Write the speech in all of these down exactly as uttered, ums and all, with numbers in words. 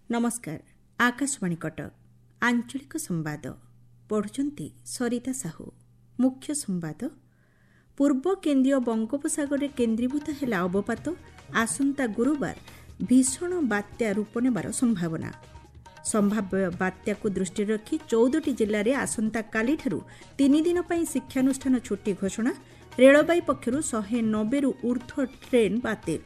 ନମସ୍କାର, ଆକାଶବାଣୀ କଟକ, ଆଞ୍ଚଳିକ ସମ୍ବାଦ ପଢ଼ୁଛନ୍ତି ସରିତା ସାହୁ। ମୁଖ୍ୟ ସମ୍ବାଦ। ପୂର୍ବ କେନ୍ଦ୍ରୀୟ ବଙ୍ଗୋପସାଗରରେ କେନ୍ଦ୍ରୀଭୂତ ହେଲା ଅବପାତ, ଆସନ୍ତା ଗୁରୁବାର ଭୀଷଣ ବାତ୍ୟା ରୂପ ନେବାର ସମ୍ଭାବନା। ସମ୍ଭାବ୍ୟ ବାତ୍ୟାକୁ ଦୃଷ୍ଟିରେ ରଖି ଚଉଦଟି ଜିଲ୍ଲାରେ ଆସନ୍ତାକାଲିଠାରୁ ତିନି ଦିନ ପାଇଁ ଶିକ୍ଷାନୁଷ୍ଠାନ ଛୁଟି ଘୋଷଣା। ରେଳବାଇ ପକ୍ଷରୁ ଶହେ ନବେରୁ ଊର୍ଦ୍ଧ୍ୱ ଟ୍ରେନ୍ ବାତିଲ।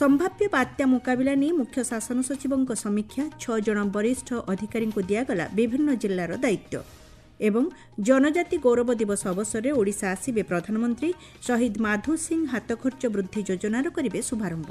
ସମ୍ଭାବ୍ୟ ବାତ୍ୟା ମୁକାବିଲା ନେଇ ମୁଖ୍ୟ ଶାସନ ସଚିବଙ୍କ ସମୀକ୍ଷା, ଛଅ ଜଣ ବରିଷ୍ଠ ଅଧିକାରୀଙ୍କୁ ଦିଆଗଲା ବିଭିନ୍ନ ଜିଲ୍ଲାର ଦାୟିତ୍ୱ। ଏବଂ ଜନଜାତି ଗୌରବ ଦିବସ ଅବସରରେ ଓଡ଼ିଶା ଆସିବେ ପ୍ରଧାନମନ୍ତ୍ରୀ, ଶହୀଦ ମାଧୋ ସିଂ ହାତଖର୍ଚ୍ଚ ବୃଦ୍ଧି ଯୋଜନାର କରିବେ ଶୁଭାରମ୍ଭ।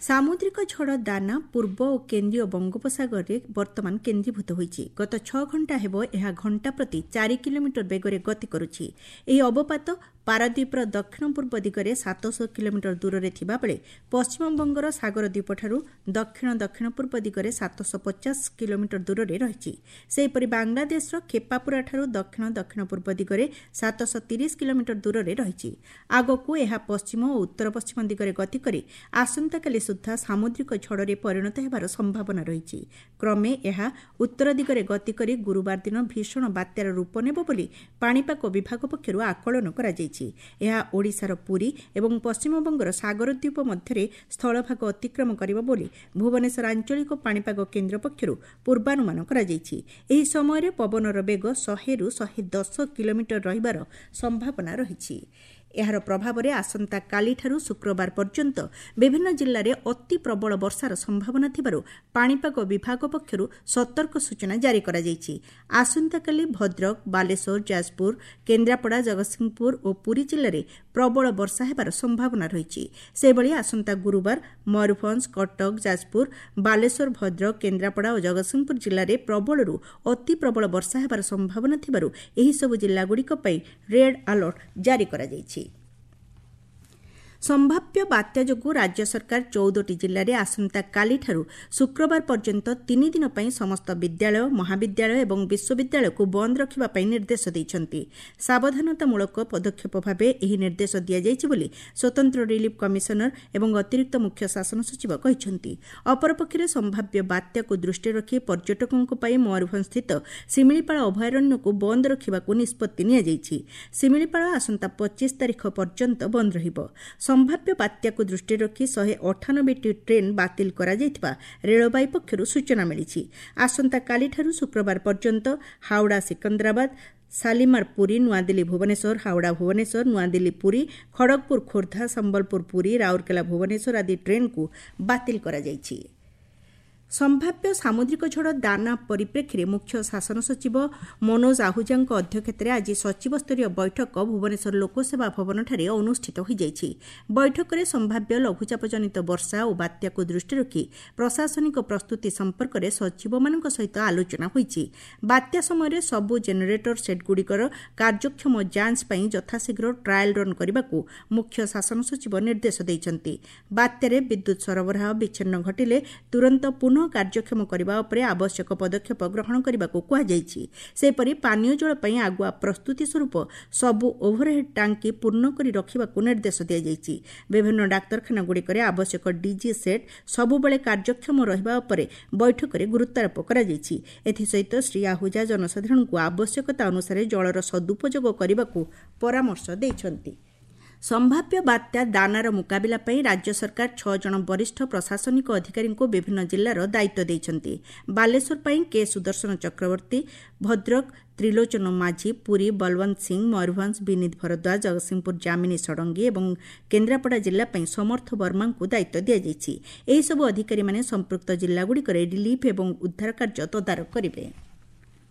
ସାମୁଦ୍ରିକ ଝଡ଼ ଦାନା ପୂର୍ବ ଓ କେନ୍ଦ୍ରୀୟ ବଙ୍ଗୋପସାଗରରେ ବର୍ତ୍ତମାନ କେନ୍ଦ୍ରୀଭୂତ ହୋଇଛି। ଗତ ଛଅ ଘଣ୍ଟା ହେବ ଏହା ଘଣ୍ଟା ପ୍ରତି ଚାରି କିଲୋମିଟର ବେଗରେ ଗତି କରୁଛି। ଏହି ଅବପାତ ପାରାଦ୍ୱୀପର ଦକ୍ଷିଣ ପୂର୍ବ ଦିଗରେ ସାତଶହ କିଲୋମିଟର ଦୂରରେ ଥିବାବେଳେ ପଶ୍ଚିମବଙ୍ଗର ସାଗର ଦ୍ୱୀପଠାରୁ ଦକ୍ଷିଣ ଦକ୍ଷିଣ ପୂର୍ବ ଦିଗରେ ସାତଶହ ପଚାଶ କିଲୋମିଟର ଦୂରରେ ରହିଛି। ସେହିପରି ବାଂଲାଦେଶର ଖେପାପୁରାଠାରୁ ଦକ୍ଷିଣ ଦକ୍ଷିଣ ପୂର୍ବ ଦିଗରେ ସାତଶହ ତିରିଶ କିଲୋମିଟର ଦୂରରେ ରହିଛି। ଆଗକୁ ଏହା ପଶ୍ଚିମ ଓ ଉତ୍ତର ପଶ୍ଚିମ ଦିଗରେ ଗତି କରି ଆସନ୍ତାକାଲି ସୁଦ୍ଧା ସାମୁଦ୍ରିକ ଝଡ଼ରେ ପରିଣତ ହେବାର ସମ୍ଭାବନା ରହିଛି। କ୍ରମେ ଏହା ଉତ୍ତର ଦିଗରେ ଗତି କରି ଗୁରୁବାର ଦିନ ଭୀଷଣ ବାତ୍ୟାର ରୂପ ନେବ ବୋଲି ପାଣିପାଗ ବିଭାଗ ପକ୍ଷରୁ ଆକଳନ କରାଯାଇଛି। ଏହା ଓଡ଼ିଶାର ପୁରୀ ଏବଂ ପଶ୍ଚିମବଙ୍ଗର ସାଗରଦ୍ୱୀପ ମଧ୍ୟରେ ସ୍ଥଳଭାଗ ଅତିକ୍ରମ କରିବ ବୋଲି ଭୁବନେଶ୍ୱର ଆଞ୍ଚଳିକ ପାଣିପାଗ କେନ୍ଦ୍ର ପକ୍ଷରୁ ପୂର୍ବାନୁମାନ କରାଯାଇଛି। ଏହି ସମୟରେ ପବନର ବେଗ ଶହେରୁ ଶହେ ଦଶ କିଲୋମିଟର ରହିବାର ସମ୍ଭାବନା ରହିଛି। ଏହାର ପ୍ରଭାବରେ ଆସନ୍ତାକାଲିଠାରୁ ଶୁକ୍ରବାର ପର୍ଯ୍ୟନ୍ତ ବିଭିନ୍ନ ଜିଲ୍ଲାରେ ଅତି ପ୍ରବଳ ବର୍ଷାର ସମ୍ଭାବନା ଥିବାରୁ ପାଣିପାଗ ବିଭାଗ ପକ୍ଷରୁ ସତର୍କ ସୂଚନା ଜାରି କରାଯାଇଛି। ଆସନ୍ତାକାଲି ଭଦ୍ରକ, ବାଲେଶ୍ୱର, ଯାଜପୁର, କେନ୍ଦ୍ରାପଡ଼ା, ଜଗତସିଂହପୁର ଓ ପୁରୀ ଜିଲ୍ଲାରେ ପ୍ରବଳ ବର୍ଷା ହେବାର ସମ୍ଭାବନା ରହିଛି। ସେହିଭଳି ଆସନ୍ତା ଗୁରୁବାର ମୟୂରଭଞ୍ଜ, କଟକ, ଯାଜପୁର, ବାଲେଶ୍ୱର, ଭଦ୍ରକ, କେନ୍ଦ୍ରାପଡ଼ା ଓ ଜଗତସିଂହପୁର ଜିଲ୍ଲାରେ ପ୍ରବଳରୁ ଅତି ପ୍ରବଳ ବର୍ଷା ହେବାର ସମ୍ଭାବନା ଥିବାରୁ ଏହିସବୁ ଜିଲ୍ଲାଗୁଡ଼ିକ ପାଇଁ ରେଡ୍ ଆଲର୍ଟ ଜାରି କରାଯାଇଛି। ସମ୍ଭାବ୍ୟ ବାତ୍ୟା ଯୋଗୁଁ ରାଜ୍ୟ ସରକାର ଚଉଦଟି ଜିଲ୍ଲାରେ ଆସନ୍ତାକାଲିଠାରୁ ଶୁକ୍ରବାର ପର୍ଯ୍ୟନ୍ତ ତିନି ଦିନ ପାଇଁ ସମସ୍ତ ବିଦ୍ୟାଳୟ, ମହାବିଦ୍ୟାଳୟ ଏବଂ ବିଶ୍ୱବିଦ୍ୟାଳୟକୁ ବନ୍ଦ ରଖିବା ପାଇଁ ନିର୍ଦ୍ଦେଶ ଦେଇଛନ୍ତି। ସାବଧାନତାମୂଳକ ପଦକ୍ଷେପ ଭାବେ ଏହି ନିର୍ଦ୍ଦେଶ ଦିଆଯାଇଛି ବୋଲି ସ୍ୱତନ୍ତ୍ର ରିଲିଫ୍ କମିଶନର ଏବଂ ଅତିରିକ୍ତ ମୁଖ୍ୟ ଶାସନ ସଚିବ କହିଛନ୍ତି। ଅପରପକ୍ଷରେ ସମ୍ଭାବ୍ୟ ବାତ୍ୟାକୁ ଦୃଷ୍ଟିରେ ରଖି ପର୍ଯ୍ୟଟକଙ୍କ ପାଇଁ ମୟୂରଭଞ୍ଜସ୍ଥିତ ଶିମିଳିପାଳ ଅଭୟାରଣ୍ୟକୁ ବନ୍ଦ ରଖିବାକୁ ନିଷ୍ପତ୍ତି ନିଆଯାଇଛି। ଶିମିଳିପାଳ ଆସନ୍ତା ପଚିଶ ତାରିଖ ପର୍ଯ୍ୟନ୍ତ ବନ୍ଦ ରହିବ। ସମ୍ଭାବ୍ୟ ବାତ୍ୟାକୁ ଦୃଷ୍ଟିରେ ରଖି ଶହେ ଅଠାନବେଟି ଟ୍ରେନ୍ ବାତିଲ କରାଯାଇଥିବା ରେଳବାଇ ପକ୍ଷରୁ ସୂଚନା ମିଳିଛି। ଆସନ୍ତାକାଲିଠାରୁ ଶୁକ୍ରବାର ପର୍ଯ୍ୟନ୍ତ ହାଓଡ଼ା ସିକନ୍ଦରାବାଦ, ଶାଲିମାର ପୁରୀ, ନୂଆଦିଲ୍ଲୀ ଭୁବନେଶ୍ୱର, ହାଓଡ଼ା ଭୁବନେଶ୍ୱର, ନୂଆଦିଲ୍ଲୀ ପୁରୀ, ଖଡ଼ଗପୁର ଖୋର୍ଦ୍ଧା, ସମ୍ବଲପୁର ପୁରୀ, ରାଉରକେଲା ଭୁବନେଶ୍ୱର ଆଦି ଟ୍ରେନ୍କୁ ବାତିଲ କରାଯାଇଛି। ସମ୍ଭାବ୍ୟ ସାମୁଦ୍ରିକ ଝଡ଼ ଦାନା ପରିପ୍ରେକ୍ଷୀରେ ମୁଖ୍ୟ ଶାସନ ସଚିବ ମନୋଜ ଆହୁଜାଙ୍କ ଅଧ୍ୟକ୍ଷତାରେ ଆଜି ସଚିବସ୍ତରୀୟ ବୈଠକ ଭୁବନେଶ୍ୱର ଲୋକସେବା ଭବନଠାରେ ଅନୁଷ୍ଠିତ ହୋଇଯାଇଛି। ବୈଠକରେ ସମ୍ଭାବ୍ୟ ଲଘୁଚାପଜନିତ ବର୍ଷା ଓ ବାତ୍ୟାକୁ ଦୃଷ୍ଟିରେ ରଖି ପ୍ରଶାସନିକ ପ୍ରସ୍ତୁତି ସମ୍ପର୍କରେ ସଚିବମାନଙ୍କ ସହିତ ଆଲୋଚନା ହୋଇଛି। ବାତ୍ୟା ସମୟରେ ସବୁ ଜେନେରେଟର ସେଟ୍ଗୁଡ଼ିକର କାର୍ଯ୍ୟକ୍ଷମ ଯାଞ୍ଚ ପାଇଁ ଯଥାଶୀଘ୍ର ଟ୍ରାଏଲ୍ ରନ୍ କରିବାକୁ ମୁଖ୍ୟ ଶାସନ ସଚିବ ନିର୍ଦ୍ଦେଶ ଦେଇଛନ୍ତି। ବାତ୍ୟାରେ ବିଦ୍ୟୁତ୍ ସରବରାହ ବିଚ୍ଛିନ୍ନ ଘଟିଲେ ତୁରନ୍ତ ପୁନଃ କାର୍ଯ୍ୟକ୍ଷମ କରିବା ଉପରେ ଆବଶ୍ୟକ ପଦକ୍ଷେପ ଗ୍ରହଣ କରିବାକୁ କୁହାଯାଇଛି। ସେହିପରି ପାନୀୟ ଜଳ ପାଇଁ ଆଗୁଆ ପ୍ରସ୍ତୁତି ସ୍ୱରୂପ ସବୁ ଓଭରହେଡ୍ ଟାଙ୍କି ପୂର୍ଣ୍ଣ କରି ରଖିବାକୁ ନିର୍ଦ୍ଦେଶ ଦିଆଯାଇଛି। ବିଭିନ୍ନ ଡାକ୍ତରଖାନାଗୁଡ଼ିକରେ ଆବଶ୍ୟକ ଡିଜି ସେଟ୍ ସବୁବେଳେ କାର୍ଯ୍ୟକ୍ଷମ ରହିବା ଉପରେ ବୈଠକରେ ଗୁରୁତ୍ୱାରୋପ କରାଯାଇଛି। ଏଥିସହିତ ଶ୍ରୀ ଆହୁଜା ଜନସାଧାରଣଙ୍କୁ ଆବଶ୍ୟକତା ଅନୁସାରେ ଜଳର ସଦୁପଯୋଗ କରିବାକୁ ପରାମର୍ଶ ଦେଇଛନ୍ତି। ସମ୍ଭାବ୍ୟ ବାତ୍ୟା ଦାନାର ମୁକାବିଲା ପାଇଁ ରାଜ୍ୟ ସରକାର ଛଅ ଜଣ ବରିଷ୍ଠ ପ୍ରଶାସନିକ ଅଧିକାରୀଙ୍କୁ ବିଭିନ୍ନ ଜିଲ୍ଲାର ଦାୟିତ୍ୱ ଦେଇଛନ୍ତି। ବାଲେଶ୍ୱର ପାଇଁ କେ ସୁଦର୍ଶନ ଚକ୍ରବର୍ତ୍ତୀ, ଭଦ୍ରକ ତ୍ରିଲୋଚନ ମାଝୀ, ପୁରୀ ବଲୱନ୍ତ ସିଂ, ମୟୂରଭଞ୍ଜ ବିନୀତ ଭରଦ୍ୱାଜ, ଜଗତସିଂହପୁର ଯାମିନୀ ଷଡ଼ଙ୍ଗୀ ଏବଂ କେନ୍ଦ୍ରାପଡ଼ା ଜିଲ୍ଲା ପାଇଁ ସମର୍ଥ ବର୍ମାଙ୍କୁ ଦାୟିତ୍ୱ ଦିଆଯାଇଛି। ଏହିସବୁ ଅଧିକାରୀମାନେ ସମ୍ପୃକ୍ତ ଜିଲ୍ଲାଗୁଡ଼ିକରେ ରିଲିଫ୍ ଏବଂ ଉଦ୍ଧାର କାର୍ଯ୍ୟ ତଦାରଖ କରିବେ।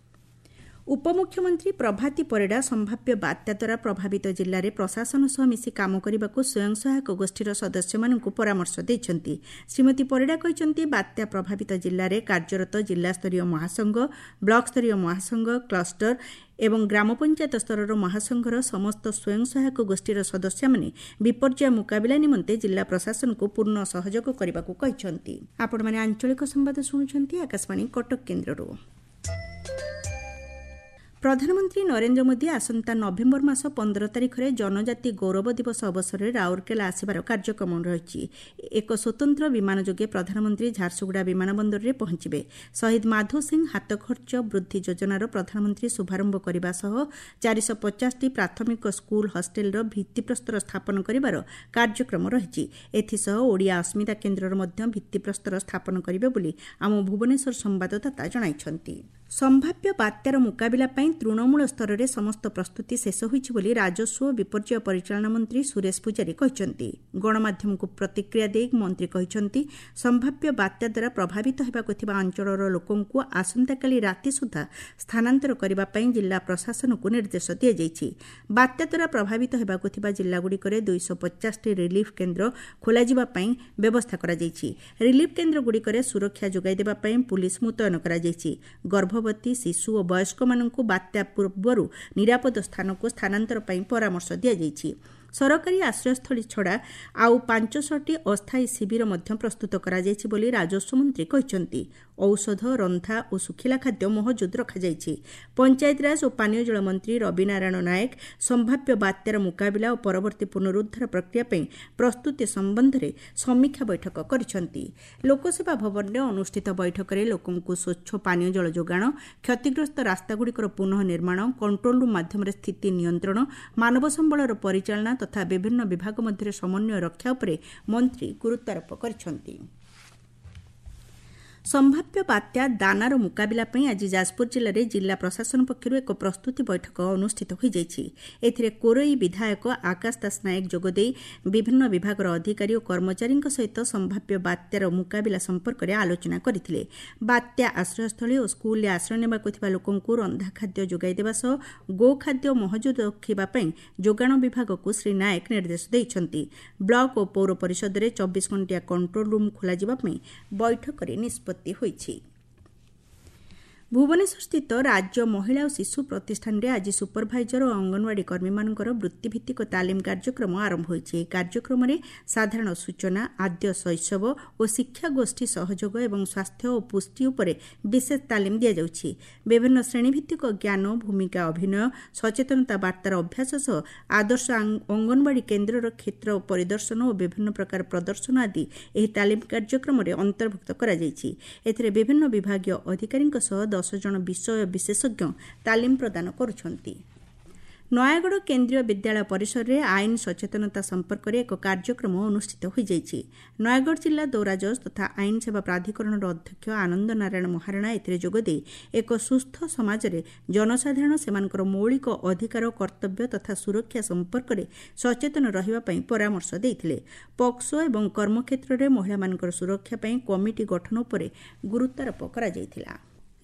ଉପମୁଖ୍ୟମନ୍ତ୍ରୀ ପ୍ରଭାତୀ ପରିଡ଼ା ସମ୍ଭାବ୍ୟ ବାତ୍ୟା ଦ୍ୱାରା ପ୍ରଭାବିତ ଜିଲ୍ଲାରେ ପ୍ରଶାସନ ସହ ମିଶି କାମ କରିବାକୁ ସ୍ୱୟଂ ସହାୟକ ଗୋଷ୍ଠୀର ସଦସ୍ୟମାନଙ୍କୁ ପରାମର୍ଶ ଦେଇଛନ୍ତି। ଶ୍ରୀମତୀ ପରିଡ଼ା କହିଛନ୍ତି, ବାତ୍ୟା ପ୍ରଭାବିତ ଜିଲ୍ଲାରେ କାର୍ଯ୍ୟରତ ଜିଲ୍ଲାସ୍ତରୀୟ ମହାସଂଘ, ବ୍ଲକସ୍ତରୀୟ ମହାସଂଘ, କ୍ଲଷ୍ଟର ଏବଂ ଗ୍ରାମ ପଞ୍ଚାୟତ ସ୍ତରର ମହାସଂଘର ସମସ୍ତ ସ୍ୱୟଂ ସହାୟକ ଗୋଷ୍ଠୀର ସଦସ୍ୟମାନେ ବିପର୍ଯ୍ୟୟ ମୁକାବିଲା ନିମନ୍ତେ ଜିଲ୍ଲା ପ୍ରଶାସନକୁ ପୂର୍ଣ୍ଣ ସହଯୋଗ କରିବାକୁ କହିଛନ୍ତି। ଆପଣମାନେ ଆଞ୍ଚଳିକ ସମ୍ବାଦ ଶୁଣୁଛନ୍ତି ଆକାଶବାଣୀ କଟକ କେନ୍ଦ୍ରରୁ। ପ୍ରଧାନମନ୍ତ୍ରୀ ନରେନ୍ଦ୍ର ମୋଦି ଆସନ୍ତା ନଭେମ୍ବର ମାସ ପନ୍ଦର ତାରିଖରେ ଜନଜାତି ଗୌରବ ଦିବସ ଅବସରରେ ରାଉରକେଲା ଆସିବାର କାର୍ଯ୍ୟକ୍ରମ ରହିଛି। ଏକ ସ୍ୱତନ୍ତ୍ର ବିମାନ ଯୋଗେ ପ୍ରଧାନମନ୍ତ୍ରୀ ଝାରସୁଗୁଡ଼ା ବିମାନ ବନ୍ଦରରେ ପହଞ୍ଚିବେ। ଶହୀଦ ମାଧୋ ସିଂ ହାତଖର୍ଚ୍ଚ ବୃଦ୍ଧି ଯୋଜନାର ପ୍ରଧାନମନ୍ତ୍ରୀ ଶୁଭାରମ୍ଭ କରିବା ସହ ଚାରିଶହ ପଚାଶଟି ପ୍ରାଥମିକ ସ୍କୁଲ ହଷ୍ଟେଲର ଭିତ୍ତିପ୍ରସ୍ତର ସ୍ଥାପନ କରିବାର କାର୍ଯ୍ୟକ୍ରମ ରହିଛି। ଏଥିସହ ଓଡ଼ିଆ ଅସ୍ମିତା କେନ୍ଦ୍ରର ମଧ୍ୟ ଭିତ୍ତିପ୍ରସ୍ତର ସ୍ଥାପନ କରିବେ ବୋଲି ଆମ ଭୁବନେଶ୍ୱର ସମ୍ବାଦଦାତା ଜଣାଇଛନ୍ତି। ସମ୍ଭାବ୍ୟ ବାତ୍ୟାର ମୁକାବିଲା ପାଇଁ ତୃଣମୂଳ ସ୍ତରରେ ସମସ୍ତ ପ୍ରସ୍ତୁତି ଶେଷ ହୋଇଛି ବୋଲି ରାଜସ୍ୱ ଓ ବିପର୍ଯ୍ୟୟ ପରିଚାଳନା ମନ୍ତ୍ରୀ ସୁରେଶ ପୂଜାରୀ କହିଛନ୍ତି। ଗଣମାଧ୍ୟମକୁ ପ୍ରତିକ୍ରିୟା ଦେଇ ମନ୍ତ୍ରୀ କହିଛନ୍ତି, ସମ୍ଭାବ୍ୟ ବାତ୍ୟା ଦ୍ୱାରା ପ୍ରଭାବିତ ହେବାକୁ ଥିବା ଅଞ୍ଚଳର ଲୋକଙ୍କୁ ଆସନ୍ତାକାଲି ରାତି ସୁଦ୍ଧା ସ୍ଥାନାନ୍ତର କରିବା ପାଇଁ ଜିଲ୍ଲା ପ୍ରଶାସନକୁ ନିର୍ଦ୍ଦେଶ ଦିଆଯାଇଛି। ବାତ୍ୟା ଦ୍ୱାରା ପ୍ରଭାବିତ ହେବାକୁ ଥିବା ଜିଲ୍ଲାଗୁଡ଼ିକରେ ଦୁଇଶହ ପଚାଶଟି ରିଲିଫ୍ କେନ୍ଦ୍ର ଖୋଲାଯିବା ପାଇଁ ବ୍ୟବସ୍ଥା କରାଯାଇଛି। ରିଲିଫ୍ କେନ୍ଦ୍ରଗୁଡ଼ିକରେ ସୁରକ୍ଷା ଯୋଗାଇ ଦେବା ପାଇଁ ପୁଲିସ୍ ମୁତୟନ କରାଯାଇଛି। ଗର୍ଭବତୀ, ଶିଶୁ ଓ ବୟସ୍କମାନଙ୍କୁ ବାତ୍ୟା ପୂର୍ବରୁ ନିରାପଦ ସ୍ଥାନକୁ ସ୍ଥାନାନ୍ତର ପାଇଁ ପରାମର୍ଶ ଦିଆଯାଇଛି। ସରକାରୀ ଆଶ୍ରୟସ୍ଥଳୀ ଛଡ଼ା ଆଉ ପାଞ୍ଚଶହଟି ଅସ୍ଥାୟୀ ଶିବିର ମଧ୍ୟ ପ୍ରସ୍ତୁତ କରାଯାଇଛି ବୋଲି ରାଜସ୍ୱ ମନ୍ତ୍ରୀ କହିଛନ୍ତି। ଔଷଧ, ରନ୍ଧା ଓ ଶୁଖିଲା ଖାଦ୍ୟ ମହଜୁଦ ରଖାଯାଇଛି। ପଞ୍ଚାୟତିରାଜ ଓ ପାନୀୟ ଜଳ ମନ୍ତ୍ରୀ ରବିନାରାୟଣ ନାୟକ ସମ୍ଭାବ୍ୟ ବାତ୍ୟାର ମୁକାବିଲା ଓ ପରବର୍ତ୍ତୀ ପୁନରୁଦ୍ଧାର ପ୍ରକ୍ରିୟା ପାଇଁ ପ୍ରସ୍ତୁତି ସମ୍ବନ୍ଧରେ ସମୀକ୍ଷା ବୈଠକ କରିଛନ୍ତି। ଲୋକସେବା ଭବନରେ ଅନୁଷ୍ଠିତ ବୈଠକରେ ଲୋକଙ୍କୁ ସ୍ୱଚ୍ଛ ପାନୀୟ ଜଳ ଯୋଗାଣ, କ୍ଷତିଗ୍ରସ୍ତ ରାସ୍ତାଗୁଡ଼ିକର ପୁନଃ ନିର୍ମାଣ, କଣ୍ଟ୍ରୋଲ ରୁମ୍ ମାଧ୍ୟମରେ ସ୍ଥିତି ନିୟନ୍ତ୍ରଣ, ମାନବ ସମ୍ବଳର ପରିଚାଳନା ତଥା ବିଭିନ୍ନ ବିଭାଗ ମଧ୍ୟରେ ସମନ୍ୱୟ ରକ୍ଷା ଉପରେ ମନ୍ତ୍ରୀ ଗୁରୁତ୍ୱାରୋପ କରିଛନ୍ତି। ସମ୍ଭାବ୍ୟ ବାତ୍ୟା ଦାନାର ମୁକାବିଲା ପାଇଁ ଆଜି ଯାଜପୁର ଜିଲ୍ଲାରେ ଜିଲ୍ଲା ପ୍ରଶାସନ ପକ୍ଷରୁ ଏକ ପ୍ରସ୍ତୁତି ବୈଠକ ଅନୁଷ୍ଠିତ ହୋଇଯାଇଛି। ଏଥିରେ କୋରଇ ବିଧାୟକ ଆକାଶ ଦାସ ନାୟକ ଯୋଗଦେଇ ବିଭିନ୍ନ ବିଭାଗର ଅଧିକାରୀ ଓ କର୍ମଚାରୀଙ୍କ ସହିତ ସମ୍ଭାବ୍ୟ ବାତ୍ୟାର ମୁକାବିଲା ସମ୍ପର୍କରେ ଆଲୋଚନା କରିଥିଲେ। ବାତ୍ୟା ଆଶ୍ରୟସ୍ଥଳୀ ଓ ସ୍କୁଲରେ ଆଶ୍ରୟ ନେବାକୁ ଥିବା ଲୋକଙ୍କୁ ରନ୍ଧା ଖାଦ୍ୟ ଯୋଗାଇ ଦେବା ସହ ଗୋଖାଦ୍ୟ ମହଜୁଦ ରଖିବା ପାଇଁ ଯୋଗାଣ ବିଭାଗକୁ ଶ୍ରୀ ନାୟକ ନିର୍ଦ୍ଦେଶ ଦେଇଛନ୍ତି। ବ୍ଲକ ଓ ପୌର ପରିଷଦରେ ଚବିଶ ଘଣ୍ଟିଆ କଣ୍ଟ୍ରୋଲ ରୁମ୍ ଖୋଲାଯିବା ପାଇଁ ବୈଠକରେ ନିଷ୍ପତ୍ତି ହୋଇଛି। ଭୁବନେଶ୍ୱରସ୍ଥିତ ରାଜ୍ୟ ମହିଳା ଓ ଶିଶୁ ପ୍ରତିଷ୍ଠାନରେ ଆଜି ସୁପରଭାଇଜର ଓ ଅଙ୍ଗନବାଡ଼ି କର୍ମୀମାନଙ୍କର ବୃତ୍ତିଭିତ୍ତିକ ତାଲିମ କାର୍ଯ୍ୟକ୍ରମ ଆରମ୍ଭ ହୋଇଛି। ଏହି କାର୍ଯ୍ୟକ୍ରମରେ ସାଧାରଣ ସୂଚନା, ଆଦ୍ୟ ଶୈଶବ ଓ ଶିକ୍ଷା ଗୋଷ୍ଠୀ ସହଯୋଗ ଏବଂ ସ୍ୱାସ୍ଥ୍ୟ ଓ ପୁଷ୍ଟି ଉପରେ ବିଶେଷ ତାଲିମ ଦିଆଯାଉଛି। ବିଭିନ୍ନ ଶ୍ରେଣୀଭିତ୍ତିକ ଜ୍ଞାନ, ଭୂମିକା ଅଭିନୟ, ସଚେତନତା ବାର୍ତ୍ତାର ଅଭ୍ୟାସ ସହ ଆଦର୍ଶ ଅଙ୍ଗନବାଡ଼ି କେନ୍ଦ୍ରର କ୍ଷେତ୍ର ପରିଦର୍ଶନ ଓ ବିଭିନ୍ନ ପ୍ରକାର ପ୍ରଦର୍ଶନ ଆଦି ଏହି ତାଲିମ କାର୍ଯ୍ୟକ୍ରମରେ ଅନ୍ତର୍ଭୁକ୍ତ କରାଯାଇଛି। ଏଥିରେ ବିଭିନ୍ନ ବିଭାଗୀୟ ଅଧିକାରୀଙ୍କ ସହ ଦଶ ଜଣ ବିଷୟ ବିଶେଷଜ୍ଞ ତାଲିମ ପ୍ରଦାନ କରୁଛନ୍ତି। ନୟାଗଡ଼ କେନ୍ଦ୍ରୀୟ ବିଦ୍ୟାଳୟ ପରିସରରେ ଆଇନ ସଚେତନତା ସମ୍ପର୍କରେ ଏକ କାର୍ଯ୍ୟକ୍ରମ ଅନୁଷ୍ଠିତ ହୋଇଯାଇଛି। ନୟାଗଡ଼ ଜିଲ୍ଲା ଦୌରା ଜଜ୍ ତଥା ଆଇନ ସେବା ପ୍ରାଧିକରଣର ଅଧ୍ୟକ୍ଷ ଆନନ୍ଦ ନାରାୟଣ ମହାରଣା ଏଥିରେ ଯୋଗଦେଇ ଏକ ସୁସ୍ଥ ସମାଜରେ ଜନସାଧାରଣ ସେମାନଙ୍କର ମୌଳିକ ଅଧିକାର, କର୍ତ୍ତବ୍ୟ ତଥା ସୁରକ୍ଷା ସମ୍ପର୍କରେ ସଚେତନ ରହିବା ପାଇଁ ପରାମର୍ଶ ଦେଇଥିଲେ। ପକ୍ସୋ ଏବଂ କର୍ମକ୍ଷେତ୍ରରେ ମହିଳାମାନଙ୍କର ସୁରକ୍ଷା ପାଇଁ କମିଟି ଗଠନ ଉପରେ ଗୁରୁତ୍ୱାରୋପ କରାଯାଇଥିଲା।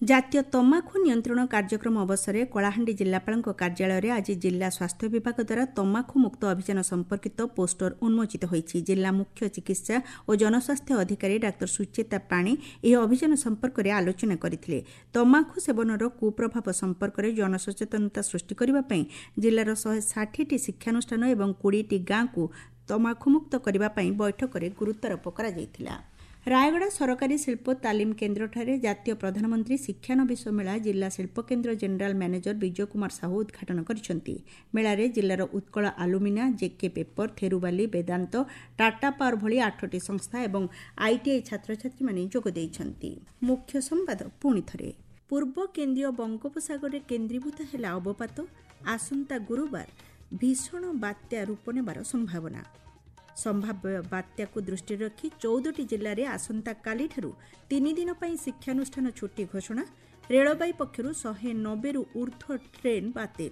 ଜାତୀୟ ତମାଖୁ ନିୟନ୍ତ୍ରଣ କାର୍ଯ୍ୟକ୍ରମ ଅବସରରେ କଳାହାଣ୍ଡି ଜିଲ୍ଲାପାଳଙ୍କ କାର୍ଯ୍ୟାଳୟରେ ଆଜି ଜିଲ୍ଲା ସ୍ୱାସ୍ଥ୍ୟ ବିଭାଗ ଦ୍ୱାରା ତମାଖୁ ମୁକ୍ତ ଅଭିଯାନ ସମ୍ପର୍କିତ ପୋଷ୍ଟର ଉନ୍ମୋଚିତ ହୋଇଛି। ଜିଲ୍ଲା ମୁଖ୍ୟ ଚିକିତ୍ସା ଓ ଜନସ୍ୱାସ୍ଥ୍ୟ ଅଧିକାରୀ ଡାକ୍ତର ସୁଚେତା ପାଣି ଏହି ଅଭିଯାନ ସମ୍ପର୍କରେ ଆଲୋଚନା କରିଥିଲେ। ତମାଖୁ ସେବନର କୁପ୍ରଭାବ ସମ୍ପର୍କରେ ଜନସଚେତନତା ସୃଷ୍ଟି କରିବା ପାଇଁ ଜିଲ୍ଲାର ଶହେ ଷାଠିଏଟି ଶିକ୍ଷାନୁଷ୍ଠାନ ଏବଂ କୋଡ଼ିଏଟି ଗାଁକୁ ତମାଖୁମୁକ୍ତ କରିବା ପାଇଁ ବୈଠକରେ ଗୁରୁତ୍ୱାରୋପ କରାଯାଇଥିଲା। ରାୟଗଡ଼ା ସରକାରୀ ଶିଳ୍ପ ତାଲିମ କେନ୍ଦ୍ରଠାରେ ଜାତୀୟ ପ୍ରଧାନମନ୍ତ୍ରୀ ଶିକ୍ଷାନବିଶ ମେଳା ଜିଲ୍ଲା ଶିଳ୍ପକେନ୍ଦ୍ର ଜେନେରାଲ ମ୍ୟାନେଜର ବିଜୟ କୁମାର ସାହୁ ଉଦ୍ଘାଟନ କରିଛନ୍ତି। ମେଳାରେ ଜିଲ୍ଲାର Utkal alumina, JK paper, Therubali, Vedanta, Tata power ଭଳି ଆଠଟି ସଂସ୍ଥା ଏବଂ ଆଇଟିଆଇ ଛାତ୍ରଛାତ୍ରୀମାନେ ଯୋଗ ଦେଇଛନ୍ତି। ମୁଖ୍ୟ ସମ୍ବାଦ ପୁଣି ଥରେ। ପୂର୍ବ କେନ୍ଦ୍ରୀୟ ବଙ୍ଗୋପସାଗରରେ କେନ୍ଦ୍ରୀଭୂତ ହେଲା ଅବପାତ। ଆସନ୍ତା ଗୁରୁବାର ଭୀଷଣ ବାତ୍ୟା ରୂପ ନେବାର ସମ୍ଭାବନା। ସମ୍ଭାବ୍ୟ ବାତ୍ୟାକୁ ଦୃଷ୍ଟିରେ ରଖି ଚଉଦଟି ଜିଲ୍ଲାରେ ଆସନ୍ତାକାଲିଠାରୁ ତିନି ଦିନ ପାଇଁ ଶିକ୍ଷାନୁଷ୍ଠାନ ଛୁଟି ଘୋଷଣା। ରେଳବାଇ ପକ୍ଷରୁ ଶହେ ନବେରୁ ଊର୍ଦ୍ଧ୍ୱ ଟ୍ରେନ୍ ବାତିଲ।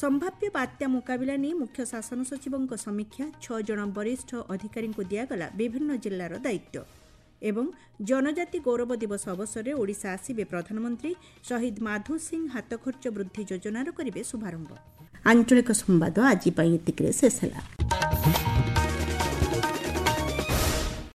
ସମ୍ଭାବ୍ୟ ବାତ୍ୟା ମୁକାବିଲା ନେଇ ମୁଖ୍ୟ ଶାସନ ସଚିବଙ୍କ ସମୀକ୍ଷା। ଛଅ ଜଣ ବରିଷ୍ଠ ଅଧିକାରୀଙ୍କୁ ଦିଆଗଲା ବିଭିନ୍ନ ଜିଲ୍ଲାର ଦାୟିତ୍ୱ। ଏବଂ ଜନଜାତି ଗୌରବ ଦିବସ ଅବସରରେ ଓଡ଼ିଶା ଆସିବେ ପ୍ରଧାନମନ୍ତ୍ରୀ। ଶହୀଦ ମାଧୋ ସିଂ ହାତଖର୍ଚ୍ଚ ବୃଦ୍ଧି ଯୋଜନାର କରିବେ ଶୁଭାରମ୍ଭ। ଆଞ୍ଚଳିକ ସମ୍ବାଦ ଆଜି ପାଇଁ ଏତିକିରେ ଶେଷ ହେଲା।